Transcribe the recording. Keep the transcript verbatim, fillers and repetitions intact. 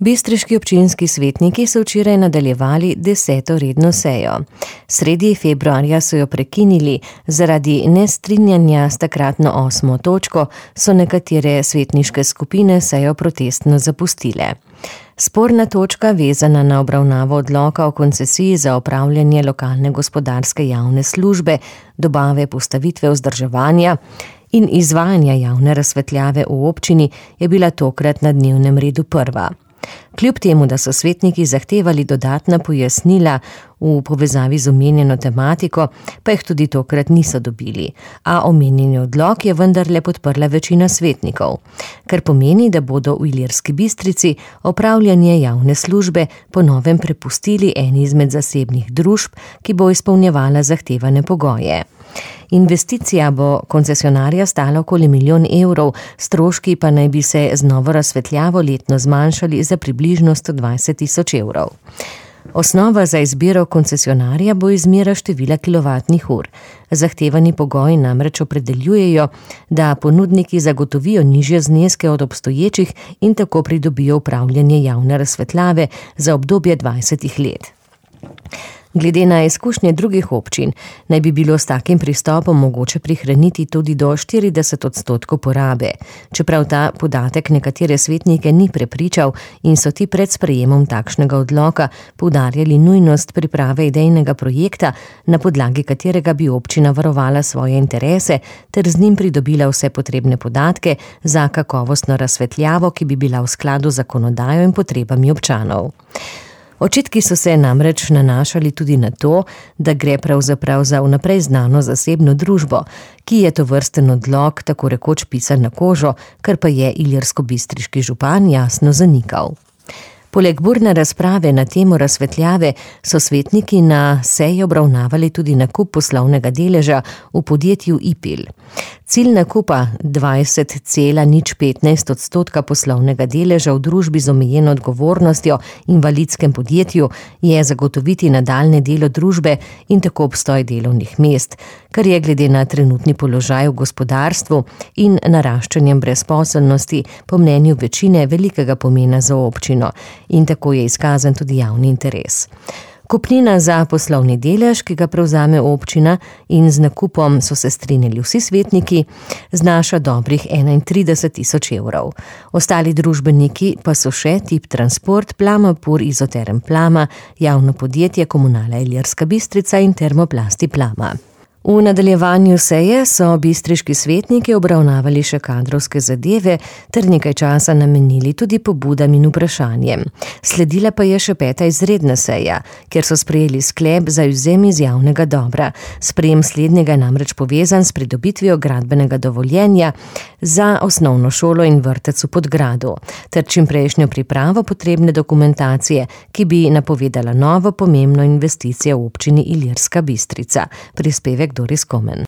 Bistriški občinski svetniki so včeraj nadaljevali deseto redno sejo. Sredi februarja so jo prekinili, zaradi nestrinjanja s takratno osmo točko so nekatere svetniške skupine sejo protestno zapustile. Sporna točka, vezana na obravnavo odloka o koncesiji za opravljanje lokalne gospodarske javne službe, dobave, postavitve, vzdrževanja in izvajanja javne razsvetljave v občini, je bila tokrat na dnevnem redu prva. Kljub temu, da so svetniki zahtevali dodatna pojasnila v povezavi z omenjeno tematiko, pa jih tudi tokrat niso dobili, a omenjeni odlok je vendarle podprla večina svetnikov, kar pomeni, da bodo v Ilirski Bistrici opravljanje javne službe po novem prepustili eni izmed zasebnih družb, ki bo izpolnjevala zahtevane pogoje. Investicija bo koncesionarja stala okoli milijon evrov, stroški pa naj bi se z novo razsvetljavo letno zmanjšali za približno sto dvajset tisoč evrov. Osnova za izbiro koncesionarja bo izmera števila kilovatnih ur. Zahtevani pogoji namreč opredeljujejo, da ponudniki zagotovijo nižje zneske od obstoječih in tako pridobijo upravljanje javne razsvetljave za obdobje dvajsetih let. Glede na izkušnje drugih občin, naj bi bilo s takim pristopom mogoče prihraniti tudi do štirideset odstotkov porabe, čeprav ta podatek nekatere svetnike ni prepričal in so ti pred sprejemom takšnega odloka poudarjali nujnost priprave idejnega projekta, na podlagi katerega bi občina varovala svoje interese ter z njim pridobila vse potrebne podatke za kakovostno razsvetljavo, ki bi bila v skladu z zakonodajo in potrebami občanov. Očitki so se namreč nanašali tudi na to, da gre pravzaprav za vnaprej znano zasebno družbo, ki je tovrsten odlok tako rekoč pisan na kožo, kar pa je ilirskobistriški župan jasno zanikal. Poleg burne razprave na temo razsvetljave so svetniki na seji obravnavali tudi nakup poslovnega deleža v podjetju Ipil. Cilj nakupa dvajset cela nič petnajst odstotka poslovnega deleža v družbi z omejeno odgovornostjo invalidskem podjetju je zagotoviti nadaljnje delo družbe in tako obstoj delovnih mest, kar je glede na trenutni položaj v gospodarstvu in naraščanjem brezposelnosti po mnenju večine velikega pomena za občino in tako je izkazan tudi javni interes. Kupnina za poslovni delež, ki ga prevzame občina in z nakupom so se strinjali vsi svetniki, znaša dobrih enaintrideset tisoč evrov. Ostali družbeniki pa so še Tip Transport, Plamapur, Izoterm Plama, javno podjetje Komunala Ilirska Bistrica in Termoplasti Plama. V nadaljevanju seje so bistriški svetniki obravnavali še kadrovske zadeve ter nekaj časa namenili tudi pobudam in vprašanjem. Sledila pa je še peta izredna seja, kjer so sprejeli sklep za izvzem iz javnega dobra. Sprejem slednjega je namreč povezan s pridobitvijo gradbenega dovoljenja za osnovno šolo in vrtec v Podgradu ter čimprejšnjo pripravo potrebne dokumentacije, ki bi napovedala novo pomembno investicijo v občini Ilirska Bistrica. Prispevek Doris Komen.